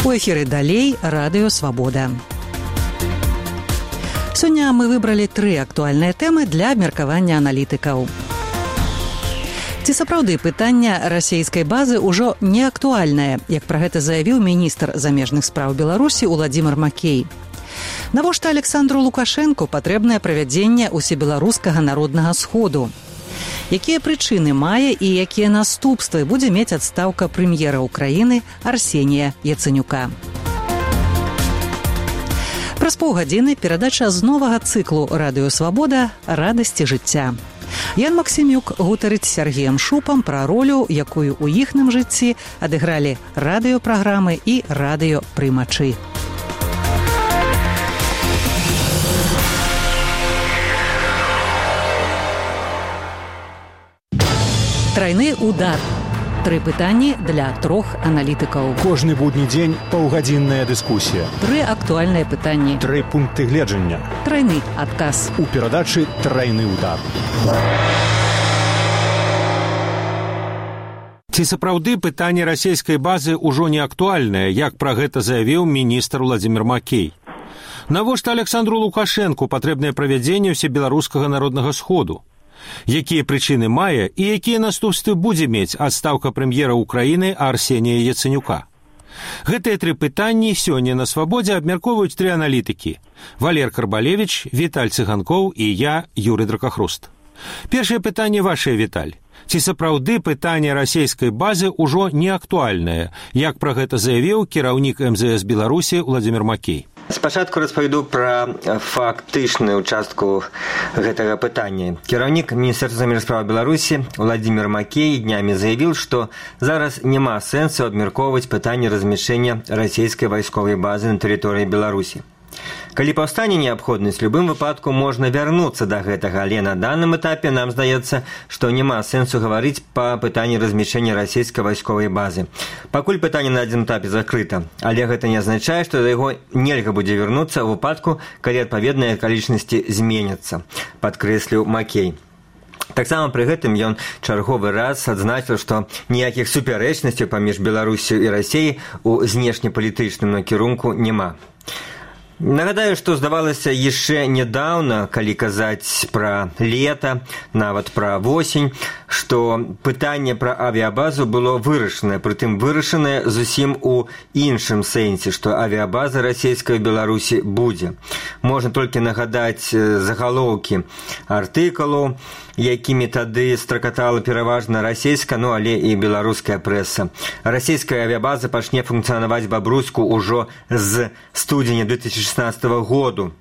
У эфіры далей радыё Свабода. Сёння мы выбралі 3 актуальныя тэмы для абмеркавання аналітыкаў. Ці сапраўды пытання расійскай базы ўжо не актуальнае, як пра гэта заявіў міністр замежных спраў Беларусі Уладзімір Макей. Навошта Александру Лукашэнку патрэбнае правядзенне усебеларускага народнага сходу? Якія прычыны мае і якія наступствы будзе мець адстаўка прэм'ера ўкраіны Арсенія Яцэнюка? Праз паўгадзіны перадача з новага цыклу «Радыё Свабода. Радасці жыцця». Ян Максімюк гутарыць з Сергеем Шупам пра ролю, якую ў іхным жыцці адыгралі радыёпраграмы і радыёпрымачы. Трайны удар. 3 пытанні для 3 аналітыкаў. Кожны будні дзень паўгадзінная дыскусія. 3 актуальныя пытанні. 3 пункты гледжання. Трайны адказ. У перадачы «Трайны удар». Ці сапраўды пытанне расійскай базы ўжо не актуальнае, як пра гэта заявіў міністр Уладзімір Макей? Навошта Александру Лукашэнку патрэбнае правядзенне ўсебеларускага народнага сходу? Якія прычыны мае і якія наступствы будзе мець адстаўка прэм'ера ўкраіны Арсенія Яцэнюка? Гэтыя 3 пытанні сёння на Свабодзе абмяркоўваюць 3 аналітыкі: Валер Карбалевіч, Віталь Цыганкоў і я, Юрый Дракахруст. Першае пытанне вашае, Віталь. Ці сапраўды пытанне расійскай базы ўжо не актуальнае, як пра гэта заявіў кіраўнік МЗС Беларусі Уладзімір Макей? Спачатку распавяду пра фактычную частку гэтага пытання. Кіраўнік Міністэрства замежных спраў Беларусі Уладзімір Макей днямі заявіў, што зараз няма сэнсу абмяркоўваць пытанне размяшчэння расійскай вайсковай базы на тэрыторыі Беларусі. Калі паўстане неабходнасць, у любым выпадку можна вярнуцца да гэтага, але на данным этапе нам здаецца, што няма сэнсу гаварыць па пытанні размяшчэння расійскай вайсковай базы. Пакуль пытанне на адзіным этапе закрыта, але гэта не азначае, што да яго нельга будзе вярнуцца ў выпадку, калі адпаведныя акалічнасці зменяцца, падкрэсліў Макей. Таксама пры гэтым ён чарговы раз адзначыў, што ніякіх супярэчнасцяў паміж Беларусю і Расіяй у знешнепалітычным накірунку няма. Нагадаю, што здавалася яшчэ нядаўна, калі казаць пра лета, нават пра восень, што пытанне пра авіябазу было вырашанае, прытым вырашанае зусім у іншым сэнсе, што авіябаза расійскай у Беларусі будзе. Можна толькі нагадаць загалоўкі артыкулаў, якімі тады стракатала пераважна расійская, але і беларуская прэса. Расійская авіябаза пачне функцыянаваць Бабруйску ўжо з студзеня 2016 году.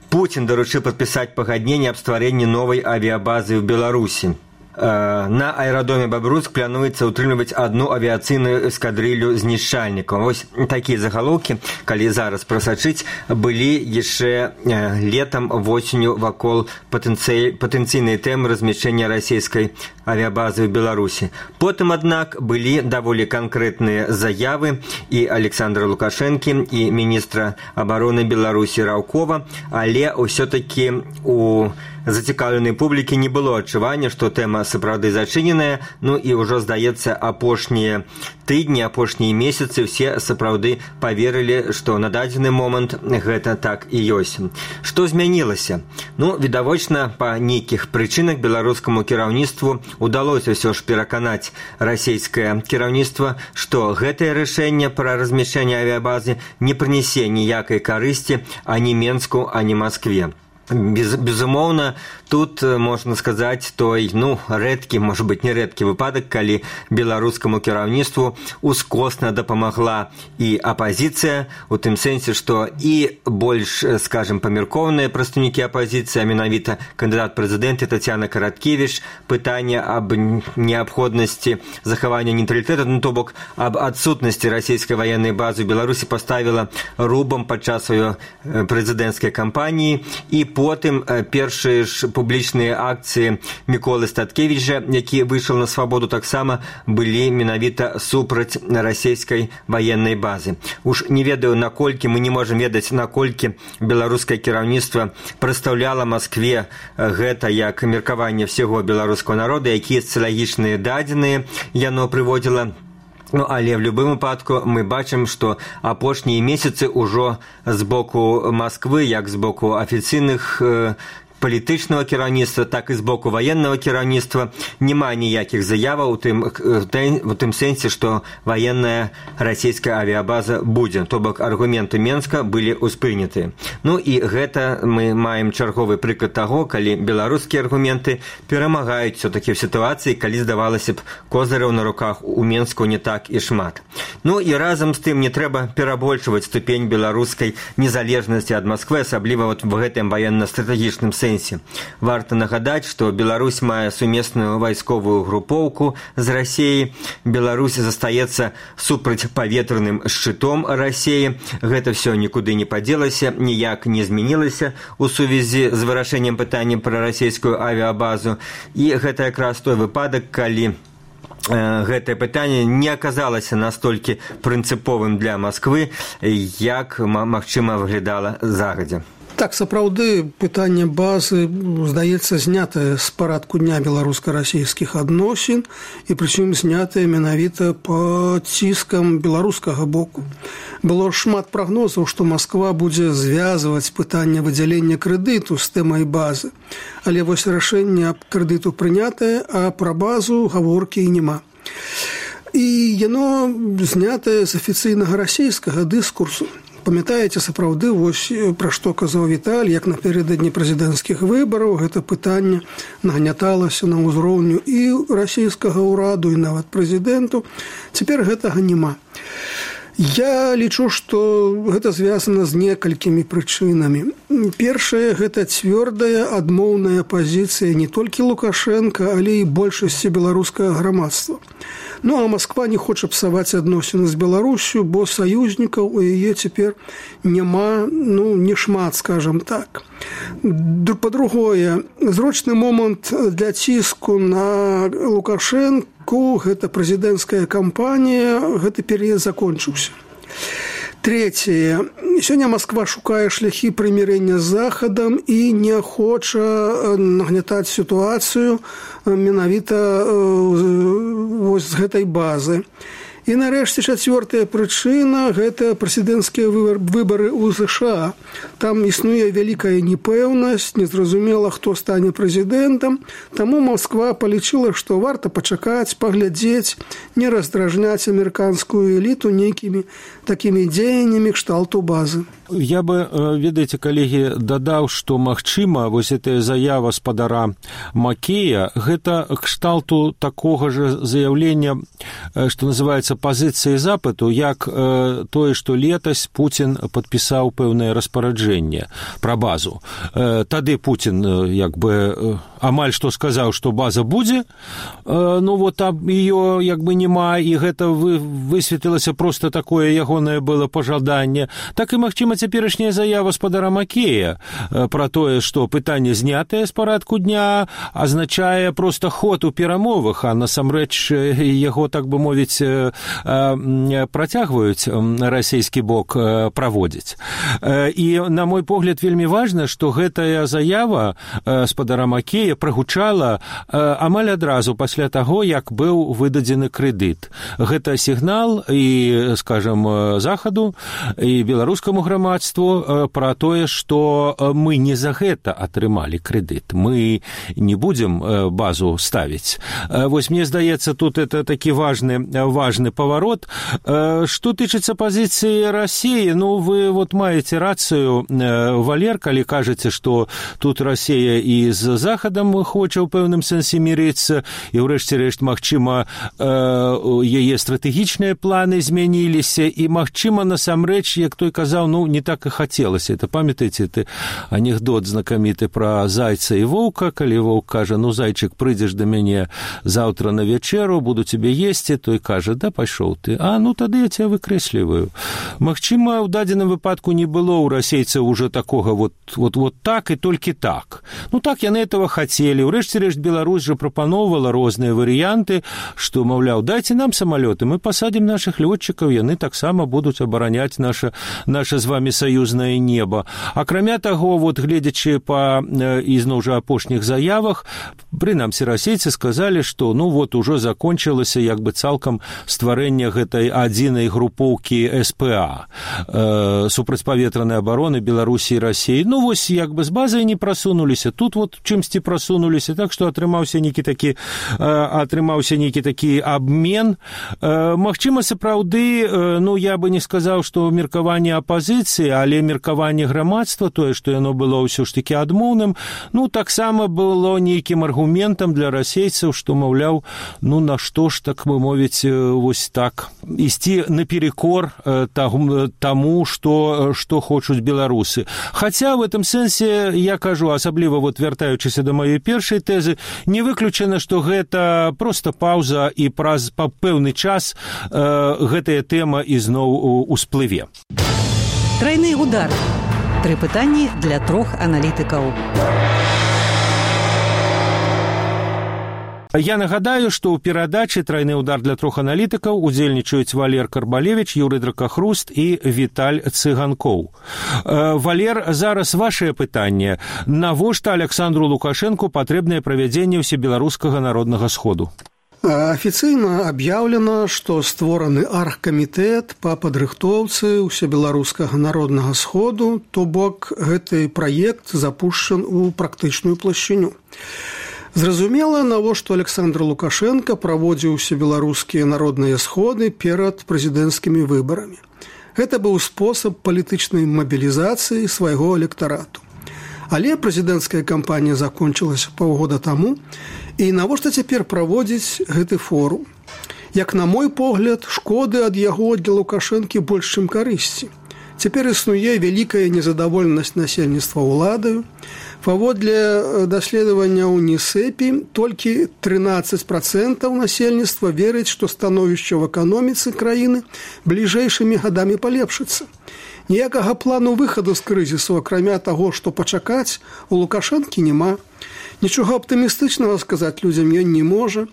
Пуцін даручыў падпісаць пагадненне аб стварэнні новай авіябазы ў Беларусі. На аэрадроме Бабруйск плануецца ўтрымліваць одну авіяцыйную эскадрылью знішчальнікаў. Вось такія загалоўкі, калі зараз прасачыць, былі яшчэ летам, восенню вакол патэнцыйнай тэмы размяшчэння расійскай авіябазы ў Беларусі. Потым, аднак, былі даволі канкрэтныя заявы і Александра Лукашэнкі, і міністра абароны Беларусі Раўкова, але ўсё-такі у зацікаўленай публікі не было адчування, што тэма сапраўды зачыненая, і ўжо, здаецца, апошнія тыдні, апошнія месяцы ўсе сапраўды паверылі, што на дадзены момант гэта так і ёсць. Што змянілася? Відавочна, па нейкіх прычынах беларускаму кіраўніцтву удалося ўсё ж пераканаць расійскае кіраўніцтва, што гэтае рашэнне пра размяшчэнне авіябазы не прынясе ніякай карысці ані Менску, ані Маскве. Безумоўна, тут, можна сказаць, той, рэдкі, можа быць, не рэдкі выпадак, калі беларускаму кіраўніцтву ускосна дапамагла і апазіцыя, у тым сэнсе, што і больш, скажем, памяркоўныя прадстаўнікі апазіцыі, а менавіта кандыдат прэзідэнта Тацяна Караткевіч, пытанне аб неабходнасці захавання нейтралітэту, то бок аб адсутнасці расійскай ваеннай базы ў Беларусі паставіла рубам падчас сваёй прэзідэнцкай кампаніі, і потым першыя ж публічныя акцыі Міколы Статкевіча, які выйшаў на свабоду, таксама былі менавіта супраць расійскай ваеннай базы. Уж не ведаю, наколькі, мы не можам ведаць, наколькі беларускае кіраўніцтва прадстаўляла Маскве гэта як меркаванне всего беларускага народа, якія сацыялагічныя дадзеныя яно прыводзіла. Ну, але в любым выпадку мы бачым, што апошнія месяцы ўжо з боку Масквы, як з боку афіцыйных палітычнага кіраўніцтва, так і з боку ваеннага кіраўніцтва няма ніякіх заяваў у тым сэнсе, што ваенная расійская авіабаза будзе. То бок аргументы Менска былі ўспрыняты. Ну і гэта мы маем чарговы прыклад таго, калі беларускія аргументы перамагаюць все-таки в сітуацыі, калі здавалася б козыраў на руках у Менску не так і шмат. Ну і разам з тым не трэба перабольшваць ступень беларускай незалежнасці ад Масквы, асабліва вот в гэтым ваенна-стратэгічным сэнсе. Варта нагадаць, што Беларусь мае сумесную вайсковую групоўку з Расіяй. Беларусь застаецца супрацьпаветраным шчытом Расіі. Гэта все нікуды не падзелася, ніяк не змянілася у сувязі з вырашэннем пытання пра расійскую авіабазу. І гэта якраз той выпадак, калі гэтае пытанне не аказалася настолькі прынцыповым для Масквы, як, магчыма, выглядала загадзя. Так, сапраўды, пытанне базы, здаецца, знятае з парадку дня беларуска-расійскіх адносін, і прычым знятае менавіта пад ціскам беларускага боку. Было шмат прагнозаў, што Масква будзе звязваць пытанне выдзялення крэдыту з тэмай базы. Але вось рашэнне аб крэдыту прынятае, а пра базу гаворкі і няма. І яно знятае з афіцыйнага расійскага дыскурсу. Памятаеце, сапраўды, вось пра што казаў Віталь, як напярэдадні прэзідэнцкіх выбараў гэта пытанне нагняталася на ўзроўню і расійскага ўраду, і нават прэзідэнту. Цяпер гэтага няма. Я лічу, што гэта звязана з некалькімі прычынамі. Першае, гэта цвёрдая адмоўная пазіцыя не толькі Лукашенка, але і большасці беларускага грамадства. Ну, а Масква не хоча псаваць адносіны з Беларусю, бо саюзнікаў у яе цяпер няма, не шмат, скажам так. Па-другое, зрочны момант для ціску на Лукашенку, гэта прэзідэнцкая кампанія, гэты перыяд закончыўся. Трэцяе, сёння Масква шукае шляхі прымірэння з Захадам і не хоча нагнятаць сітуацыю менавіта вось з гэтай базы. І нарэшце чацвёртая прычына – гэта прэзідэнцкія выбары ў ЗША. Там існуе вялікая непэўнасць, незразумела, хто стане прэзідэнтам. Таму Масква палічыла, што варта пачакаць, паглядзець, не раздражняць амерыканскую эліту нейкімі такімі дзеяннямі кшталту базы. Я бы, ведаеце, калегі, дадаў, што, магчыма, вось гэтая заява спадара Макея, гэта кшталту такога ж заяўлення, што называецца пазіцыі запыту, як тое, што летась Пуцін падпісаў пэўнае распараджэнне пра базу. Тады Пуцін, як бы, амаль што сказаў, што база будзе, вот там ее, як бы, няма, і гэта высветлілася проста такое ягонае было пажаданне. Так і, магчыма, цяперашняя заява спадара Макея пра тое, што пытанне знятае з парадку дня, азначае проста ход у перамовах, а насамрэч яго, так бы мовіць, працягваюць расійскі бок праводзіць. І, на мой погляд, вельмі важна, што гэтая заява спадара Макея прагучала амаль адразу пасля таго, як быў выдадзены крэдыт. Гэта сігнал і, скажам, Захаду, і беларускаму грамадству пра тое, што мы не за гэта атрымалі крэдыт. Мы не будзем базу ставіць. Вось мне здаецца, тут это такі важны поворот. Што тычыцца пазіцыі Расіі, вы вот маеце рацыю, Валер, калі кажаце, што тут Расія і з Захадам хоча ў пэўным сэнсе мірыцца, і ўрэшце рэшт, магчыма, яе стратэгічныя планы змяніліся, і, магчыма, насамрэч, як той казаў, не так і хацелася. Это, памятаеце, ты анекдот знакаміты пра зайца і воўка, калі воўк кажа, зайчык, прыйдзеш да мяне заўтра на вячэру, буду тебе есці, той кажа, да пайшоў ты, тады я тебя выкрэсліваю. Магчыма, ў дадзеным выпадку не было ў расейцаў уже такога вот так і толькі так. Так яны этого хацелі. Урэшце рэшт Беларусь жа прапаноўвала розныя варыянты, што, маўляў, дайце нам самалёты, мы пасадзім нашых лётчыкаў, яны таксама будуць абараняць наша з вами саюзнае неба. Акрамя таго, гледзячы па ізноў жа апошніх заявах, прынамсі расейцы сказалі, што ужо закончылася як бы цалкам стварэнне стварэння гэтай адзінай групоўкі СПА, супрацьпаветранай абароны Беларусі і Расіі. Ну, вось, як бы з базай не прасунуліся, тут вот чымсьці прасунуліся, так што атрымаўся нейкі такі абмен. Магчыма, сапраўды, ну, я бы не сказаў, што меркаванне апазіцыі, але меркаванне грамадства, тое, што яно было ўсё ж такі адмоўным, ну, таксама было нейкім аргументам для расейцаў, што, маўляў, ну, на што ж, так бы мовіць, вось так, ісці наперекор таму, што хочуць беларусы. Хаця, в этом сэнсе, я кажу, асабліва, вот, вяртаючыся да маёй першай тэзы, не выключана, што гэта проста паўза і праз пэўны час гэтая тэма ізноў усплыве. Трайны удар. 3 пытанні для 3 аналітыкаў. Я нагадаю, што ў перадачы «Трайны удар» для 3 аналітыкаў удзельнічаюць Валер Карбалевіч, Юрый Дракахруст і Віталь Цыганкоў. Валер, зараз вашее пытанне. Навошта Александру Лукашенку патрэбнае правядзенне ўсебеларускага народнага сходу? Афіцыйна аб'яўлена, што створаны аргкамітэт па падрыхтоўцы ўсебеларускага народнага сходу, то бок гэты праект запушчан у практычную плашчыню. Зразумела, навошта Александр Лукашенко праводзіў усебеларускія народныя сходы перад прэзідэнцкімі выбарамі. Гэта быў спосаб палітычнай мабілізацыі свайго электарату. Але прэзідэнцкая кампанія закончылася паўгода таму, і навошта цяпер праводзіць гэты форум? Як на мой погляд, шкоды ад яго для Лукашэнкі больш, чым карысці. Цяпер існуе вялікая незадаволенасць насельніцтва ўладаю. Паводле даследавання УНІСЕПі, толькі 13% насельніцтва верыць, што становішча ў эканоміцы краіны бліжэйшымі гадамі палепшыцца. Ніякага плану выхаду з крызісу, акрамя таго, што пачакаць, у Лукашэнкі няма. Нічога аптымістычнага сказаць людзям ён не можа.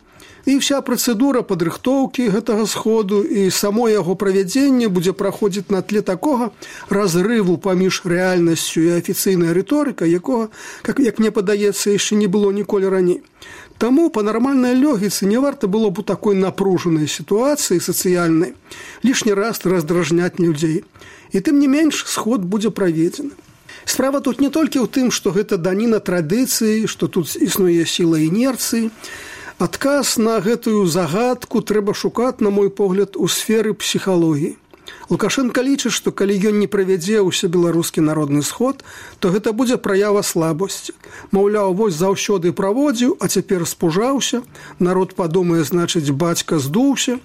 І вся працэдура падрыхтоўкі гэтага сходу і само яго правядзенне будзе праходзіць на тле такога разрыву паміж рэальнасцю і афіцыйнай рыторыкай, якога, як мне падаецца, яшчэ не было ніколі раней. Таму па нармальнай логіцы не варта было б у такой напружанай сітуацыі сацыяльнай лішні раз раздражняць людзей. І тым не менш сход будзе праведзены. Справа тут не толькі ў тым, што гэта даніна традыцыі, што тут існуе сіла інерцыі. Адказ на гэтую загадку трэба шукаць, на мой погляд, у сферы псіхалогіі. Лукашенко лічыць, што калі ён не правядзе ўсебеларускі народны сход, то гэта будзе праява слабасці. Маўляў, вось заўсёды праводзіў, а цяпер спужаўся, народ падумае, значыць, бацька здуўся.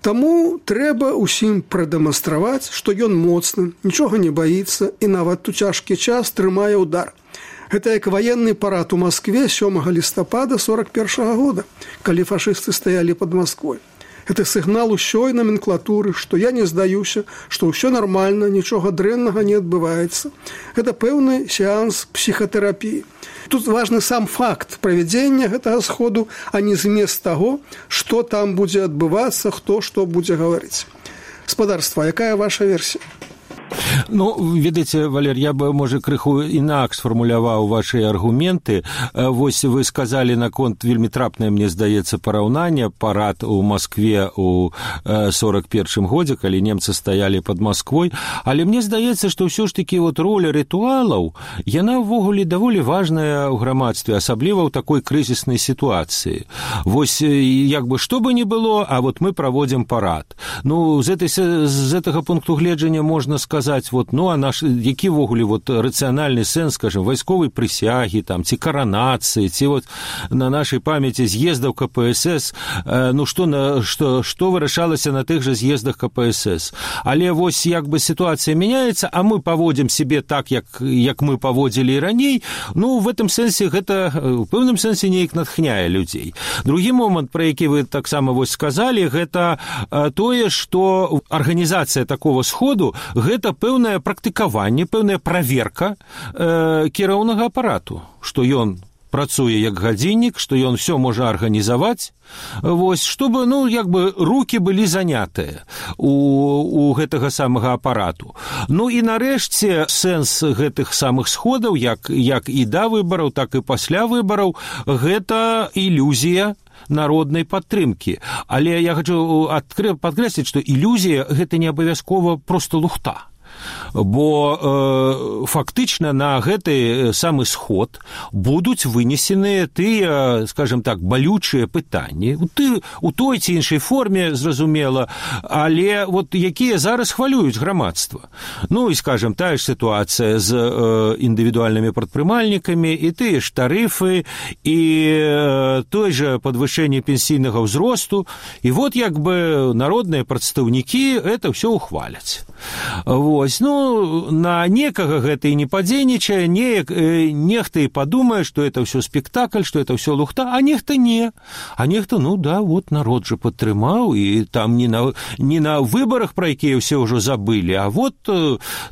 Таму трэба ўсім прадэманстраваць, што ён моцны, нічога не баіцца і нават у цяжкі час трымае ўдар. Гэта як ваенны парад у Маскве 7 лістапада 41 года, калі фашысты стаялі пад Масквой. Гэта сігнал усёй номенклатуры, што я не здаюся, што ўсё нармальна, нічога дрэннага не адбываецца. Гэта пэўны сеанс псіхатэрапіі. Тут важны сам факт правядзення гэтага сходу, а не змест таго, што там будзе адбывацца, хто што будзе гаварыць. Спадарства, якая ваша версія? Ну, ведаеце, Валер, я бы, можа, крыху інакш сфармуляваў вашы аргументы. Вось вы сказалі наконт вельмі трапнае, мне здаецца, параўнанне парад у Маскве ў 41 годзе, калі немцы стаялі пад Масквой. Але мне здаецца, што ўсё ж такі вот роля рытуалаў, яна ўвогуле даволі важная ў грамадстве, асабліва ў такой крызіснай сітуацыі. Вось, як бы, што бы ни было, а вот мы праводзім парад. Ну, з гэтага пункту гледжання можна сказаць, вот, ну, а наш, які ввогуле вот рацыянальны сэнс, скажем, вайсковай прысягі, там, ці каранацыі, ці вот на нашай памяці з'ездаў КПСС, ну, што вырашалася на тых жа з'ездах КПСС. Але вось, як бы, сітуацыя мяняецца, а мы паводзім себе так, як мы паводзілі і раней, ну, в этом сэнсе гэта, в пэўным сэнсе неяк натхняе людзей. Другі момант, пра які вы таксама вось сказалі, гэта тое, што арганізацыя такого сходу, гэта пэўнае практыкаванне, пэўная праверка кіраўнага апарату, што ён працуе як гадзіннік, што ён все можа арганізаваць, вось, чтобы, ну, як бы рукі былі занятыя у гэтага самага апарату. Ну і нарэшце сэнс гэтых самых сходаў, як і да выбараў, так і пасля выбараў, гэта ілюзія народнай падтрымкі. Але я хочу падкрэсліць, што ілюзія гэта не абавязкова проста лухта. Бо фактычна на гэты самы сход будуць вынесеныя тыя, скажем так, балючыя пытанні у той ці іншай форме, зразумела, але вот якія зараз хвалююць грамадства. Ну і, скажем, тая ж сітуацыя з індывідуальнымі прадпрымальнікамі і тыя ж тарыфы і той жа падвышэнне пенсійнага ўзросту. І вот як бы народныя прадстаўнікі это ўсё ухваляць. Вось, ну, на некага гэта і не падзейнічае, нехта і падумае, што это ўсё спектакль, што это ўсё лухта, а нехта не. А нехта, ну да, вот народ жа падтрымаў, і там не на выбарах, пра якія ўсе ўжо забылі, а вот,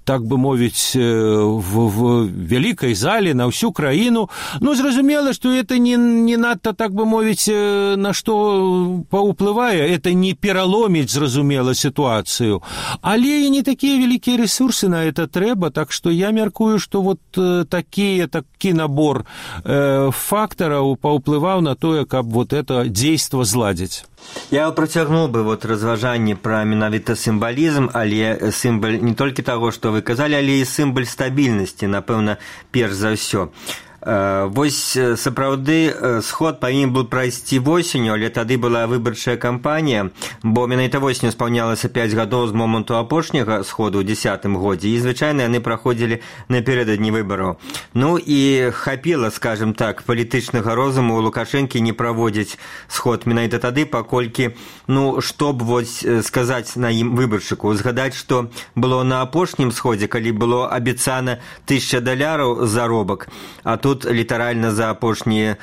так бы мовіць, в вялікай зале на ўсю краіну. Ну, зразумела, што это не надта, так бы мовіць, на што паўплывае, это не пераломіць, зразумела, сітуацыю, але і не такія вялікія ресурсы на это трэба, так што я мяркую, што вот такі набор фактараў паўплываў на тое, каб вот это дзейства зладзіць. Я працягнуў бы вот разважанне пра менавіта сімвалізм, але сімвал не толькі таго, што вы казалі, але і сімвал стабільнасці, напэўна, перш за ўсё. Вось сапраўды сход павінен быў прайсці восенню, але тады была выбарчая кампанія, бо менавіта восенню спаўнялася 5 гадоў з моманту апошняга сходу ў 10-м годзе, і звычайна яны праходзілі напярэдадні выбараў. Ну і хапіла, скажем так, палітычнага розуму у Лукашэнкі не праводзіць сход менавіта тады, паколькі, ну, што б вось сказаць на ім выбаршчыку, згадаць, што было на апошнім сходзе, калі было абяцана $1000 заробак, а тут літаральна за апошнія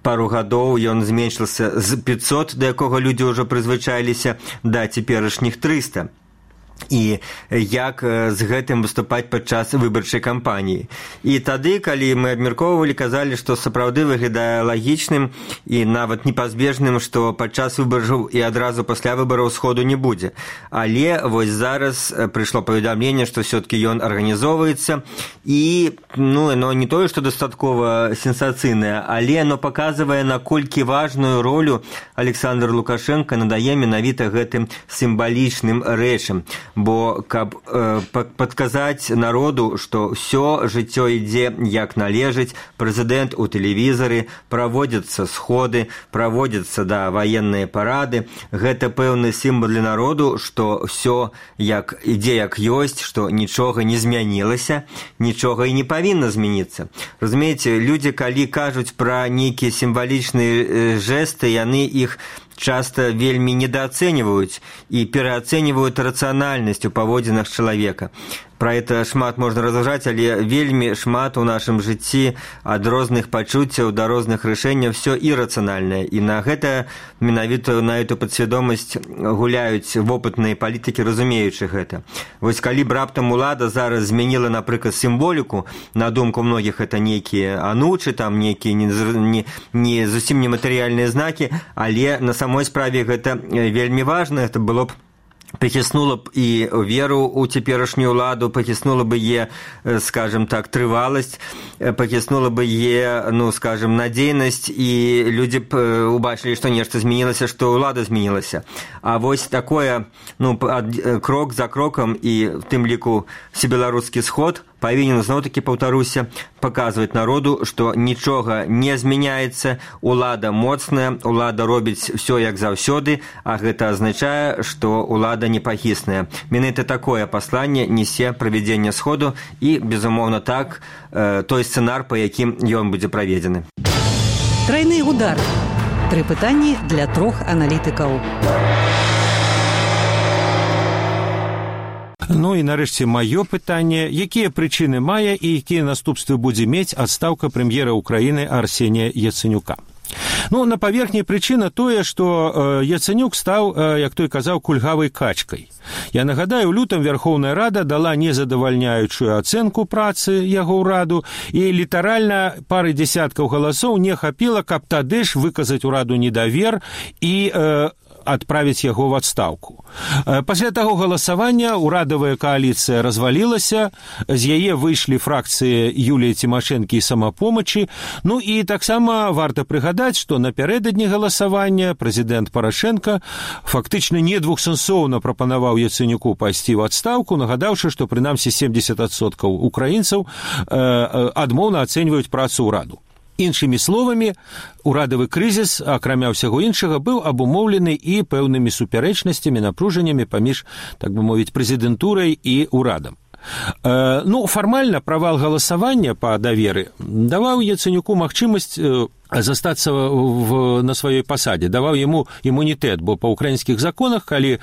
пару гадоў ён зменшыўся з 500, да якога людзі ўжо прызвычаіліся, да цяперашніх 300. І як з гэтым выступаць падчас выбарчай кампаніі. І тады, калі мы абмяркоўвалі, казалі, што сапраўды выглядае лагічным і нават непазбежным, што падчас выбараў і адразу пасля выбараў сходу не будзе. Але вось зараз прыйшло паведамленне, што ўсё-такі ён арганізоўваецца, і, ну, яно не тое, што дастаткова сенсацыйнае, але яно паказвае, наколькі важную ролю Александр Лукашенко надае менавіта гэтым сімвалічным рэчам. Бо каб падказаць народу, што ўсё жыццё ідзе як належыць, прэзідэнт у тэлевізары, праводзяцца сходы, праводзяцца ваенныя парады, гэта пэўны сімвал для народу, што ўсё ідзе як ёсць, што нічога не змянілася, нічога і не павінна змяніцца. Разумееце, людзі, калі кажуць пра нейкія сімвалічныя жэсты, яны іх часто вельмі недооценивают и переоценивают рациональность у паводзінах чалавека. Пра это шмат можна разважаць, але вельмі шмат у нашым жыцці ад розных пачуццяў да розных рашэнняў все ірацыянальнае. І на гэта менавіта на эту падсвядомасць гуляюць вопытныя палітыкі, разумеючы гэта. Вось калі б раптам улада зараз змяніла, напрыклад, сімволіку, на думку многіх это нейкія анучы, там нейкія не зусім нематэрыяльныя знакі, але на самой справе гэта вельмі важна, это было б пахіснула б і веру ў цяперашнюю ўладу, пахіснула бы е, скажем так, трываласць, пахіснула бы е, ну, скажем, надзейнасць, і людзі б убачылі, што нешта змянілася, што ўлада змянілася. А вось такое, ну, крок за крокам, і в тым ліку всебеларускі сход павінен, зноў-такі паўтаруся, паказваць народу, што нічога не змяняецца, улада моцная, улада робіць ўсё як заўсёды, а гэта азначае, што улада непахісная. Менавіта такое пасланне несе правядзенне сходу і, безумоўна, так, той сцэнар, па якім ён будзе праведзены. Трайны удар. 3 пытанні для 3 аналітыкаў. Ну і нарэшце маё пытанне, якія прычыны мае і якія наступствы будзе мець адстаўка прэм'ера Украіны Арсенія Яцэнюка. Ну, на паверхні прычына тое, што Яцэнюк стаў, як той казаў, кульгавай качкай. Я нагадаю, у лютым Верхоўная Рада дала незадавальняючую ацэнку працы яго ўраду, і літаральна пары дзясяткаў галасоў не хапіла, каб тады ж выказаць ураду недавер і адправіць яго в адстаўку. Пасля таго галасавання урадавая кааліцыя развалілася, з яе выйшлі фракцыі Юліі Цімашэнкі і Самапомачы. Ну і таксама варта прыгадаць, што напярэдадні галасавання прэзідэнт Парашенка фактычна недвухсэнсоўна прапанаваў Яцэнюку пайсці ў адстаўку, нагадаўшы, што прынамсі 70% украінцаў адмоўна ацэньваюць працу ўраду. Іншымі словамі, урадавы крызіс, акрамя ўсяго іншага, быў абумоўлены і пэўнымі супярэчнасцямі, напружаннямі паміж, так бы мовіць, прэзідэнтурай і ўрадам. Ну, фармальна правал галасавання па даверы даваў Яцэнюку магчымасць застацца на сваёй пасадзе, даваў яму імунітэт, бо па ўкраінскіх законах, калі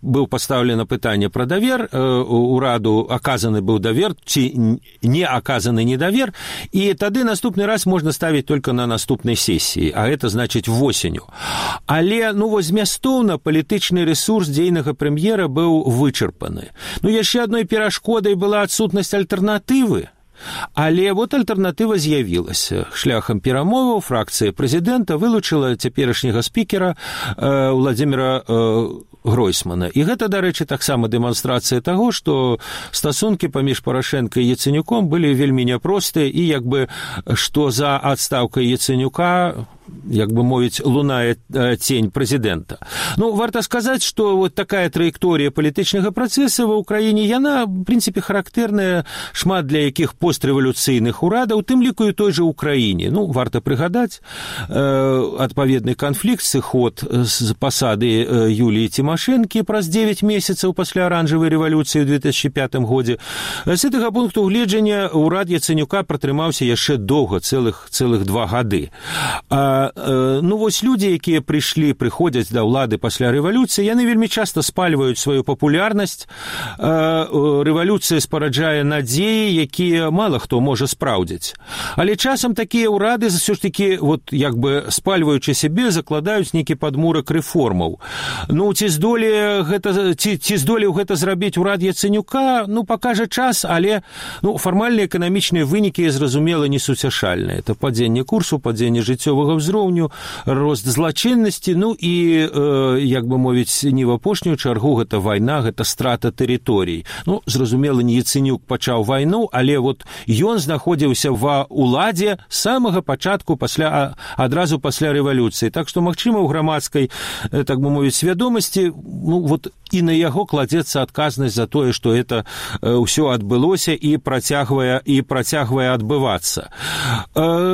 быў пастаўлена пытанне пра давер, ураду аказаны быў давер ці не аказаны недавер, і тады наступны раз можна ставіць толькі на наступнай сесіі, а гэта значыць восенню. Але, ну, вось змястоўна палітычны рэсурс дзейнага прэм'ера быў вычарпаны. Ну, яшчэ адной перашкодай была адсутнасць альтэрнатывы. Але вот альтэрнатыва з'явілася. Шляхам перамоваў фракцыя прэзідэнта вылучыла цяперашняга спікера Владзіміра Гройсмана. І гэта, дарэчы, таксама дэманстрацыя таго, што стасункі паміж Парашенка і Яцэнюком былі вельмі няпростыя, і як бы што за адстаўкай Яцэнюка, як бы мовіць, лунае цень прэзідэнта. Ну, варта сказаць, што вот такая траекторія палітычнага працэса ва ўкраіне, яна, в прынцыпе, характэрная шмат для якіх пострэвалюцыйных урадаў, тым ліку і той жа ўкраіне. Ну, варта прыгадаць адпаведны канфлікт, сыход з пасады Юліі Цімашэнкі праз 9 месяцаў пасля аранжавай рэвалюцыі ў 2005 годзе. З гэтага пункту гледжання ўрад Яцэнюка пратрымаўся яшчэ доўга, цэлых 2 гады. Ну, вось людзі, якія прыходзяць да ўлады пасля рэвалюцыі, яны вельмі часта спальваюць сваю папулярнасць. Рэвалюцыя спараджае надзеі, якія мала хто можа спраўдзіць. Але часам такія ўрады ўсё ж такі, вот, як бы спальваючы сябе, закладаюць нейкі падмурак рэформаў. Ну, ці здолеў гэта зрабіць урад Яцэнюка, ну, пакажа час, але, ну, фармальныя эканамічныя вынікі, зразумела, несуцяшальныя. Это падзенне курсу, падзенне жыццёвага ўзроўню, рост злачыннасці, ну і, як бы мовіць, не в апошнюю чаргу, гэта вайна, гэта страта тэрыторый. Ну, зразумела, не Яцэнюк пачаў вайну, але вот ён знаходзіўся ва ўладзе з самага пачатку адразу пасля рэвалюцыі. Так што, магчыма, у грамадскай, так бы мовіць, свядомасці, ну, вот і на яго кладзецца адказнасць за тое, што это ўсё адбылося і працягвае адбывацца.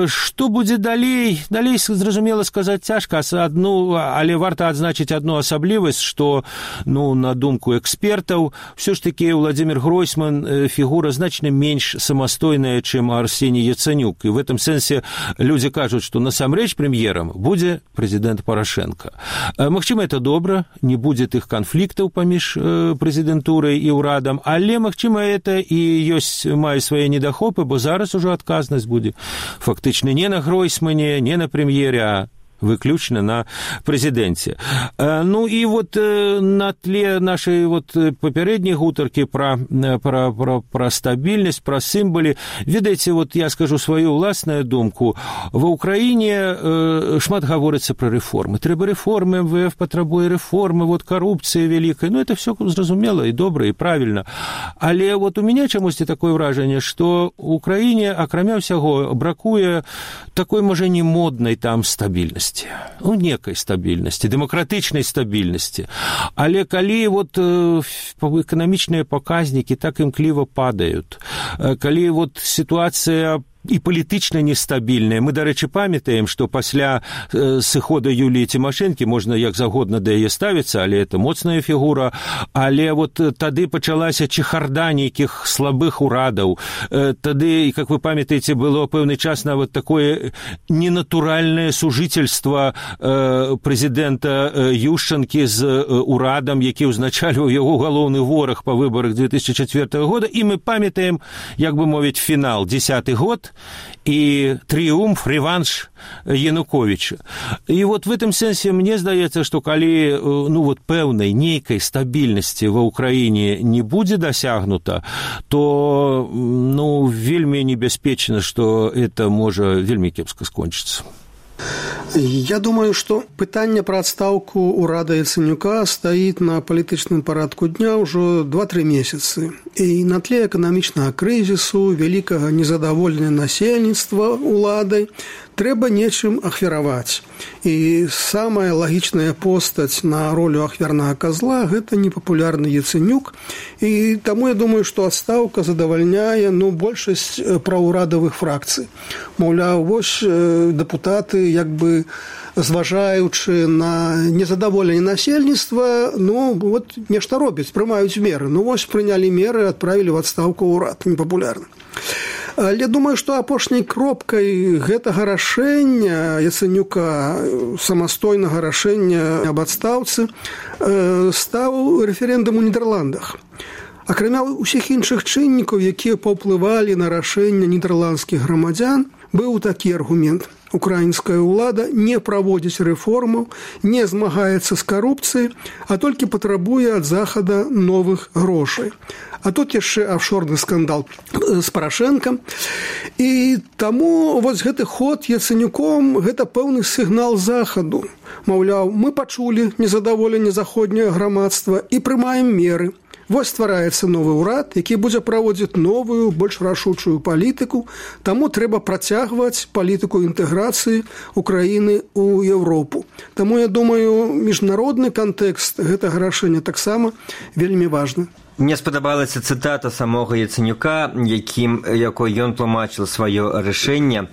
Што будзе далей? Далей, зразумела, сказаць цяжка, але варта адзначыць адну асаблівасць, што, ну, на думку экспертаў, ўсё ж такі Владзімір Гройсман фігура значна менш самастойная, чым Арсеній Яцэнюк. І в этом сэнсе людзі кажуць, што насамрэч прэм'ерам будзе прэзідэнт Парашенка. Магчыма, это добра, не будзе тых канфліктаў паміж прэзідэнтурай і ўрадам, але, магчыма, это і мае свае недахопы, бо зараз ужо адказнасць будзе фактычна не на Гройсмане, не на прэм'ере, а выключна на прэзідэнце. Ну і вот на тле нашай вот папярэдняй гутаркі пра стабільнасць, пра сімвалы, ведаеце, вот я скажу сваю ўласную думку. Ва ўкраіне шмат гаворыцца пра рэформы. Трэба рэформы, МВФ патрабуе рэформы, вот карупцыя вялікая. Ну, это все зразумела і добра, і правільна. Але вот у мяне чамусьці такое ўражанне, што ў краіне, акрамя ўсяго, бракуе такой, можа, не моднай там стабільнасці. Ну, некай стабільнасці, дэмакратычнай стабільнасці. Але калі вот эканамічныя паказнікі так імкліва падаюць, калі вот сітуацыя і палітычна нестабільная. Мы, дарэчы, памятаем, што пасля сыхода Юліі Цімашэнкі можна як загодна да яе ставіцца, але это моцная фігура, але вот тады пачалася чехарда нейкіх слабых урадаў. Тады, як вы памятаеце, было пэўны час нават такое ненатуральнае сужительство прэзідэнта Ющенкі з урадам, які ўзначальваў яго галоўны вораг па выбарах 2004 года, і мы памятаем, як бы мовіць, фінал, 10-й год, и триумф, реванш Януковича. И вот в этом сенсе мне здаецца, што калі, ну, вот пэўнай нейкай стабільнасці ва ўкраіне не будзе дасягнута, то, ну, вельмі небяспечна, што это можа вельмі кепска скончыцца. Я думаю, что пытанне про адстаўку ўрада Яценюка стаіць на палітычным парадку дня ўжо 2-3 месяцы. І на тле эканамічнага крызісу, вялікага незадаволення насельніцтва уладай трэба нечым ахвяраваць. І самая лагічная постаць на ролю ахвярнага казла – гэта непапулярны Яценюк. І таму я думаю, што адстаўка задавальняе большасць праўурадавых фракцый. Маўляў, вось дэпутаты, як бы зважаючы на незадаволенне насельніцтва, нешта робяць, прымаюць меры. Вось прынялі меры, адправілі ў адстаўку ўрад, непапулярны. Але думаю, што апошняй кропкай гэтага рашэння Яценюка, самастойнага рашэння аб адстаўцы, стаў рэферэндум у Нідерландах. Акрамя ўсіх іншых чыннікаў, якія паўплывалі на рашэнне нідерландскіх грамадзян, быў такі аргумент. Украінская ўлада не праводзіць рэформаў, не змагаецца з карупцыяй, а толькі патрабуе ад Захада новых грошай. А тут яшчэ афшорны скандал з Парашэнкам. І таму вось гэты ход Яценюком – гэта пэўны сігнал Захаду. Маўляў, мы пачулі незадаволенне заходняга грамадства і прымаем меры. Вось ствараецца новы ўрад, які будзе праводзіць новую, больш рашучую палітыку, таму трэба працягваць палітыку інтэграцыі Украіны ў Еўропу. Таму, я думаю, міжнародны кантэкст гэтага рашэння таксама вельмі важны. Мне спадабалася цытата самога Яценюка, якой ён тлумачыў сваё рашэнне.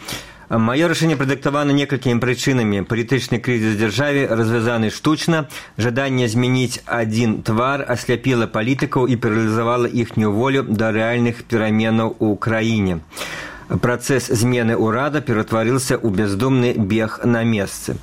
Мое решение продиктовано несколькими причинами. Политический кризис в державе развязанный штучно, жадание изменить один твар ослепило политиков и парализовало ихнюю волю до реальных перемен в Украине. Процесс змены урада ператварился ў бездумны бег на месцы.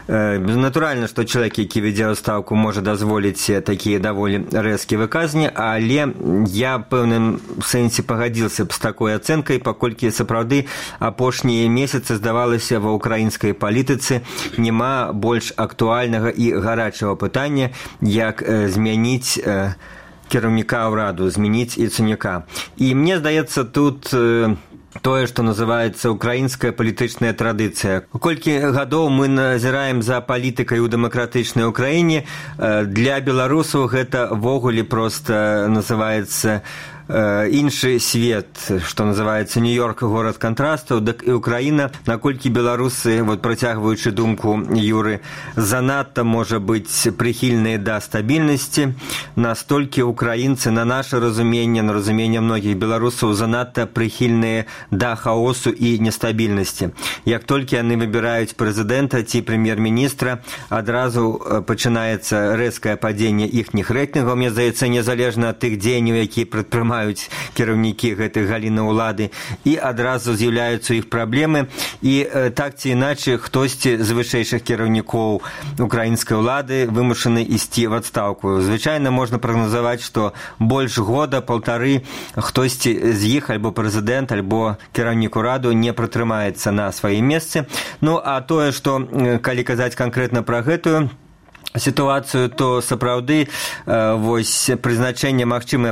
Натуральна, што чалавек, які вядзе адстаўку, можа дазволіць такія даволі рэзкія выказанні, але я пэўным сэнсе пагадзіўся б з такой ацэнкай, паколькі сапраўды апошнія месяцы здавалася ва ўкраінскай палітыцы няма больш актуальнага і гарачага пытання, як змяніць кіраўніка ўраду, змяніць Яценюка. І мне здаецца, тут тое, што называецца украінская палітычная традыцыя. Колькі гадоў мы назіраем за палітыкай у дэмакратычнай Украіне, для беларусаў гэта ввогуле проста называецца іншы свет, што называецца Нью-Йорк, горад кантрастаў, дык і Украіна, наколькі беларусы, працягваючы думку Юры, занадта, можа быць, прыхільныя да стабільнасці, настолькі украінцы, на наше разуменне, на разуменне многіх беларусаў, занадта прыхільныя да хаосу і нестабільнасці. Як толькі яны выбіраюць прэзідэнта ці прэм'ер-міністра, адразу пачынаецца рэзкае падзенне іхніх рэйтынгаў, мне здаецца, незалежна ад тых дзеянняў, якія прадпрымаюць кіраўнікі гэтых галіны ўлады, і адразу з'яўляюцца іх праблемы, і так ці іначай хтосьці з вышэйшых кіраўнікоў украінскай улады вымушаны ісці в адстаўку. Звычайна можна прагназаваць, што больш года, паўтары хтосьці з іх, альбо прэзідэнт, альбо кіраўнік ураду не пратрымаецца на сваім месцы. А тое, што, калі казаць канкрэтна пра гэтую ситуацию, то сапраўды магчымае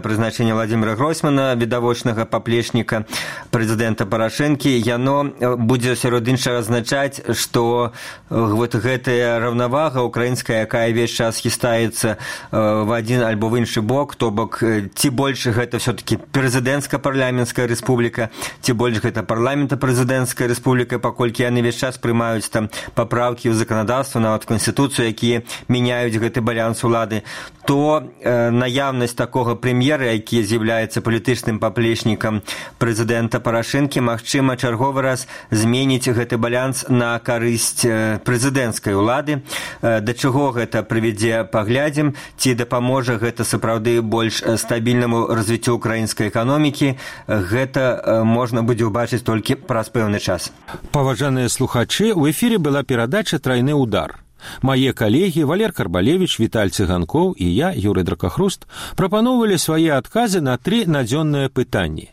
прызначэнне Владимира Гройсмана, відавочнага паплечніка прэзідэнта Парашэнкі, яно будзе сярод іншага азначаць, што гэтая раўнавага украінская, якая ўвесь час хістаецца в адзін альбо в іншы бок, то бок ці больш гэта все-таки прэзідэнцка-парламенцкая рэспубліка, ці больш гэта парламента-прэзідэнцкая рэспубліка, паколькі яны ўвесь час прымаюць там папраўкі ў заканадаўства, нават канстытуцыю, якія мяняюць гэты баланс улады, то наяўнасць такога прэм'ера, які з'яўляецца палітычным паплечнікам прэзідэнта Парашэнкі, магчыма, чарговы раз зменіць гэты баланс на карысць прэзідэнцкай улады. Да чаго гэта прывядзе, паглядзім, ці дапаможа гэта сапраўды больш стабільнаму развіццю украінскай эканомікі, гэта можна будзе ўбачыць толькі праз пэўны час. Паважаныя слухачы, у эфіры была перадача «Трайны удар». Мае калегі Валер Карбалевіч, Віталь Цыганкоў і я, Юрый Дракахруст, прапаноўвалі свае адказы на 3 надзённыя пытанні.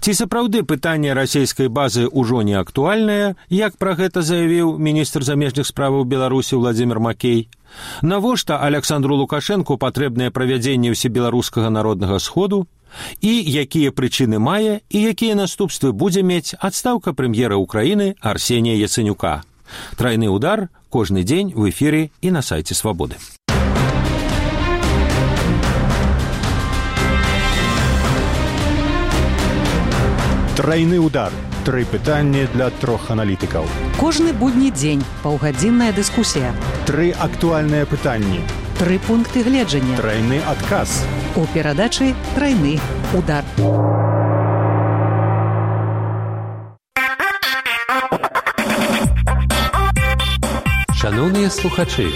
Ці сапраўды пытанне расійскай базы ўжо не актуальнае, як пра гэта заявіў міністр замежных справаў Беларусі Владзімір Макей? Навошта Александру Лукашэнку патрэбнае правядзенне ўсебеларускага народнага сходу? І якія прычыны мае і якія наступствы будзе мець адстаўка прэм'ера Украіны Арсенія Яценюка? Тройны удар кожны дзень в эфіры і на сайце Свабоды. Тройны удар. 3 пытанні для 3 аналітыкаў. Кожны будні дзень паўгадзінная дыскусія. 3 актуальныя пытанні. 3 пункты гледжання. Тройны адказ. У перадачы «Тройны удар». Шановныя слухачы,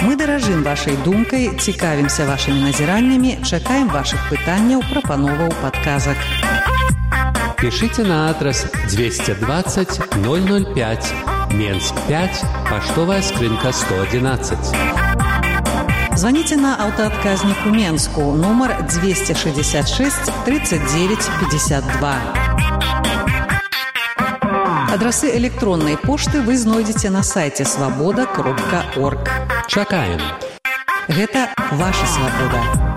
Мы даражым вашай думкай, цікавімся вашымі назіраннямі, чакаем вашых пытанняў, прапановаў, падказак. пишите на адрес 220 005, Менск 5, поштовая скрынка 111. Звоните на аўтаадказнік у Менску, нумар 266 39 52. Адрасы электроннай пошты вы знойдзеце на сайце свабода.орг. Чакаем. Гэта ваша свабода.